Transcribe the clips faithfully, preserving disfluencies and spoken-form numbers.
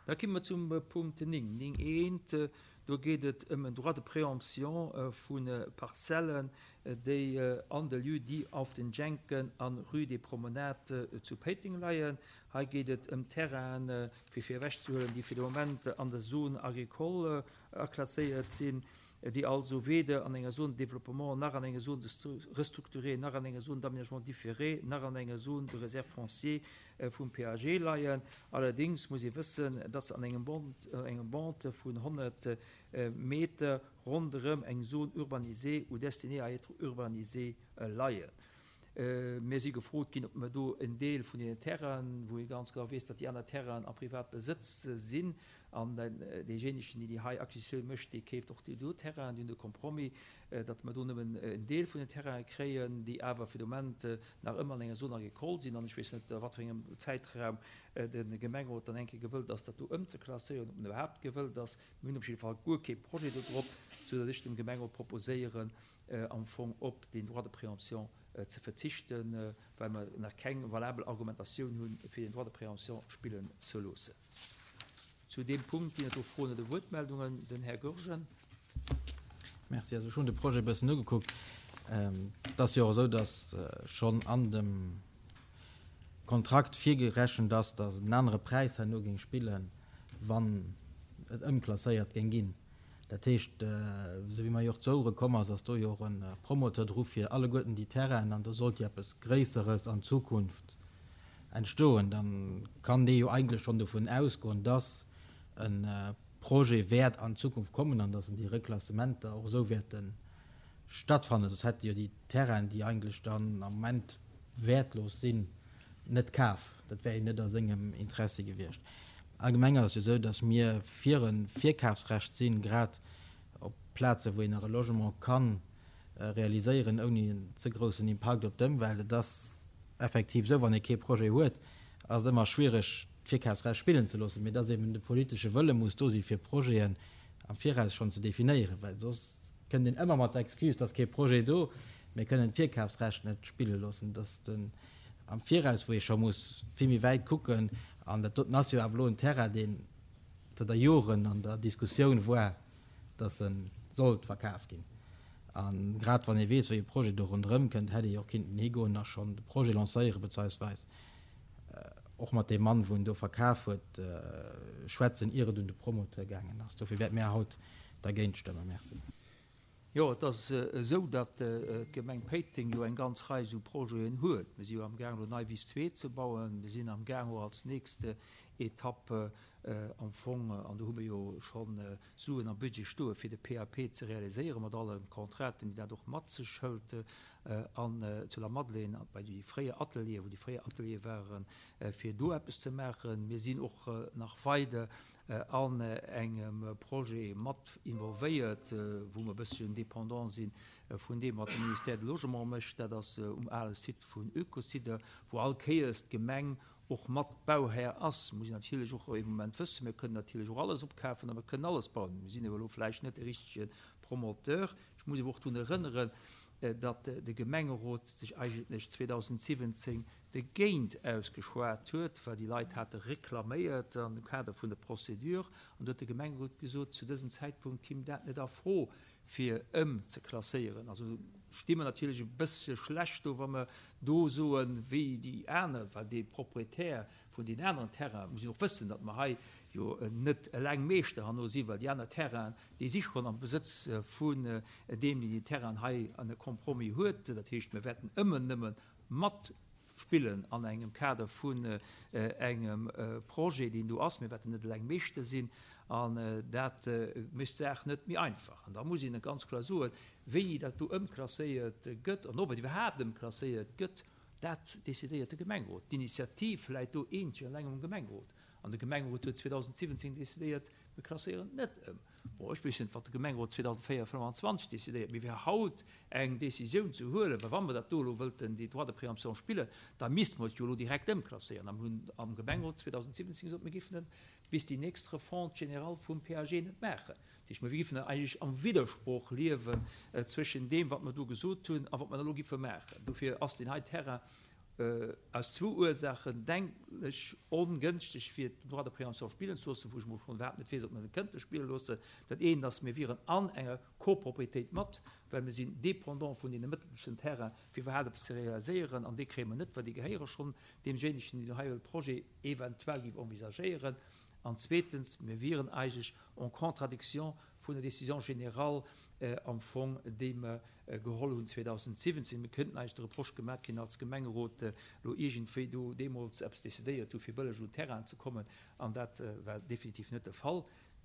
Da komme mer zum Punkt néng, néng eent. Do geet et ëm en Droit de préemption vu Parzellen, déi an de Lieu-dit Auf den Jenken an Rue des Promenades zu Péiteng leien. Hei geet et ëm Terrainen, fir fir ewechzehuelen, déi fir de Moment an der Zone agricole aklasséiert sinn, déi also weder an enger Zone de développement, nach an enger Zone de restructurée, nach an enger Zone d'aménagement différé, nach an enger Zone de réserve foncière vum P A G leien. Allerdéngs muss ee wëssen, datt se an engem Band, engem Bande vun honnert Meter ronderëm eng Zone urbanisée ou destinée à être urbanisée leien. Mir si gefrot ginn, ob mer do en Deel vun deenen Terrainen, wou ee ganz genau weess, datt déi aner Terrainen a Privatbesëtz sinn, an deejéinegen, deen déi hei Acquisitioun mécht, dee keeft och déi do Terrainen, déi hunn de Compromis, datt mer do nëmmen en Deel vun den Terrainen kréien, déi awer fir de Moment nach ëmmer an enger Zone agricole sinn. An ech weess net, a wat fir engem Zäitraum de Gemengerot dann eng Kéier gewëllt ass, dat do ëmzeklasséieren, ob en iwwerhaapt gewëllt ass. Mir hunn op jidde Fall guer kee Projet do drop, soudatt ech dem Gemengerot proposéieren, am Fong op deen Droit de préemption ze verzichten, well mer nach keng valabel Argumentatioun hunn, fir den Droit de préemption spillen ze loossen. Zu deem Punkt ginn et do Froen oder Wuertmeldungen. Den Här Goergen. Merci. Also ech hunn de Projet e bëssen ugekuckt. Et ass jo och esou, datt schonn an dem Kontrakt virgerechent ass, datt en anere Präis herno géing spillen, wann et ëmklasséiert géing ginn. Dat heescht, esou wéi mer jo och zu Ouere komm ass, ass do jo och e Promoteur dru fir alleguerten déi Terrainen, an do sollt jo eppes Gréisseres an Zukunft entstoen, da kann dee jo eigentlech schonn dovun ausgoen, dass e Projet wäert an Zukunft kommen an dass en déi Reklassementer och esou wäerte stattfannen, soss hätt e jo déi Terrainen, déi eigentlech dann am Moment wäertlos sinn, net kaf. Dat wär jo net a sengem Interessi gewiescht. Allgemeng ass et jo esou, dass mir fir e Virkafsrecht sinn, grad op Plazen, wou een nach e Logement ka realiséieren, ouni en ze groussen Impakt op d'Ëmwelt. Et ass effektiv esou, wann ee kee Projet huet, ass et ëmmer schwiereg, d'Virkafsrecht spillen ze loossen, mee dass eben de politesche Wëlle muss do si fir Projeten am Viraus schonn ze definéieren, well soss kënnt een ëmmer mat der Excuse, et ass kee Projet do, mir kënnen d'Virkafsrecht net spille loossen. Dass den am Viraus, wou ee scho muss vill méi wäit kucken, an dat doten ass jo awer elo en Terrain, deen zënter Joren an der Diskussioun war, dass e sollt verkaf ginn. A grad wann ee weess, wéi e Projet do ronderëm kënnt, hätt ee jo och kinnten higoen a schonn de Projet lancéieren, bezeisweis och mat deem Mann, wou en do verkaf huet, schwätzen, ier et un de Promoteur gaangen ass. Dofir wäerte mir haut dergéint stëmmen. Merci. Jo, et ass esou, datt d'Gemeng Péiteng jo eng ganz Rei esou Projeten huet. Mir si jo amgaang elo Neiwiss zwee ze bauen. Mir sinn amgaang och als nächst Etapp am Fong, an do hu mir jo scho Suen am Budget stoe fir de P A P ze realiséieren, mat alle Contrainten, déi dat och mat sech hëlt, an zu Lamadelaine bei déi fréier Ateliere, wou déi fréier Ateliere waren, fir do eppes ze maachen. Mir sinn och nach weider an engem Projet mat involvéiert, wou mer e bësschen dépendant si vun deem, wat de Ministère du Logement mécht. Dat ass um ale Site vun Eucosider, wou all Kéiers d'Gemeng och mat Bauhär ass. Muss een natierlech och ee Moment wëssen, mir kënnen natierlech och alles opkafen a mir kënnen alles bauen. Mir sinn awer elo vläicht net de richtege Promoteur. Ech muss awer och drun erënneren, datt de Gemengerot sech eigentlech zweedausendsiwwenzéng dergéint ausgeschwat huet, well déi Leit hate reklaméiert an dem Kader vun der Procédure, an do huet de Gemengerot gesot, zu dësem Zäitpunkt kimm dat net a Fro, fir ëmzeklasséieren. Also sti mer natierlech e bëssche schlecht do, wa mer do soen, wéi déi aner, well dee Proprietär vun deenen aneren Terrainen, muss een och wëssen, datt mer hei jo net eleng Meeschter herno sinn, well déi aner Terrainen, déi si schonn am Besëtz vun deem, deen déi Terrainen hei an e Compromis huet. Dat heescht, mir wäerten ëmmer nëmme matspillen an engem Kader vun engem Projet, deen do ass. Mir wäerten net eleng Meeschter sinn an dat mécht d'Saach net méi einfach. An da muss een ganz kloer soen, wéini dat do ëmklasséiert gëtt an ob et iwwerhaapt ëmklasséiert gëtt, dat decidéiert de Gemengerot. D'Initiativ läit do eenzeg an eleng um Gemengerot. An de Gemengerot huet zweedausendsiwwenzéng decidéiert, mir klasséieren net ëm. Bon, ech weess net, wat de Gemengerot zweedausendfënnwanzwanzeg decidéiert, mee fir haut eng Décisioun ze huelen, well wa mer dat do elo wëllten, déi Droit de préemption spillen, da misste mer et jo elo direkt ëmklasséieren. A mir hunn am Gemengerot zweedausendsiwwenzéng gesot, mir géifen et bis déi nächst Refonte générale vum P A G net maachen. Dat heescht, mir géifen eigentlech am Widdersproch liewen zwëschen deem, wat mer do gesot hunn, a wat mer elo géife maachen. Dofir ass deen hei Terrain aus zwou Ursaachen denklech ongënschteg fir den Droit de préemption spillen ze loossen, wou ech mol schonn iwwerhaapt net weess, ob mer e kënnte spille loossen. Dat eent ass, mir wieren an enger Copropriétéit mat, well mir sinn dépendant vun deene mëttelsten Terrain, fir iwwerhaapt eppes ze realiséieren, an déi kréie mer net, well déi gehéiere schonn deemjéinegen, deen hei e Projet eventuell géif envisagéieren. An zweetens, mir wieren eigentlech en contradiction vun der Décision générale am Fong, déi mer geholl hunn zweedausendsiwwenzéng. Mir kënnten eigentlech de Reproche gemat kinn als Gemengerot, elo iergendwéi do deemools eppes decidéiert hu fir bëlleg un Terrainen ze kommen, an dat war definitiv net de Fall.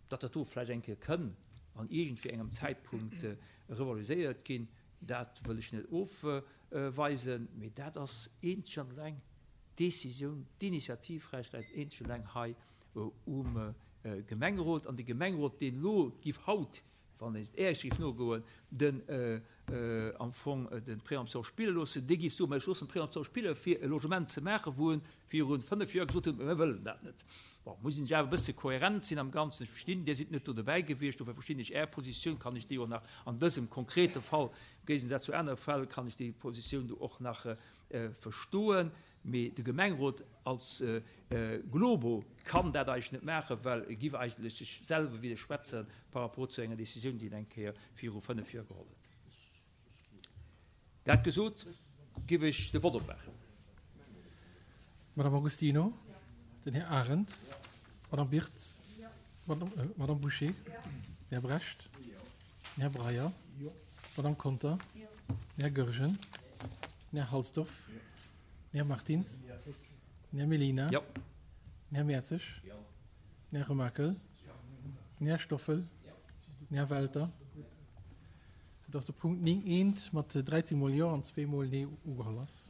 Datt dat do vläicht eng Kéier kënn an iergendwéi engem Zäitpunkt revaloriséiert ginn, dat wëll ech net ofweisen, mee dat ass eenzeg an eleng d'Décisioun, d'Initiativrecht läit eenzeg an eleng hei um Gemengerot. An de Gemengerot, deen elo giff haut, wann een et Äech géif nogoen, den am Fong de Préemption spille loossen, dee géif soen, mä ech loossen d'Préemption spille fir e Logement ze maachen, wou en viru fënnef Joer gesot huet, mä mir wëllen dat net. Bon, muss een sech awer e bësse kohärent sinn am Ganzen. Ech verstinn, Dir sidd net do dobäi gewiescht, dofir verstinn ech Är Positioun, kann ech déi och nach an dësem konkrete Fall, am Géigesaz zu anere Fäll, kann ech déi Positioun do och nach verstoen. Mee de Gemengerot als Globo kann dat eigentlech net maachen, well e giff eigentlech sech selwer widderschwätzen par rapport zu enger Décisioun, déi en eng Kéier viru fënnef Joer geholl huet. Dat gesot, giff ech de Vott opmaachen. Madame Agostino, den Här Arendt, d'Madame Birtz, d'Madame Bouché, den Här Brecht, den Här Breyer, d'Madame Conter, den Här Goergen, den Här Halsdorf, den Här Martins, den Här Mellina, den Här Mertzig, den Här Remakel, den Här Stoffel, den Här Welter, soudass de Punkt néng eent mat dräizéng mol Jo an zwee mol Nee ugeholl ass.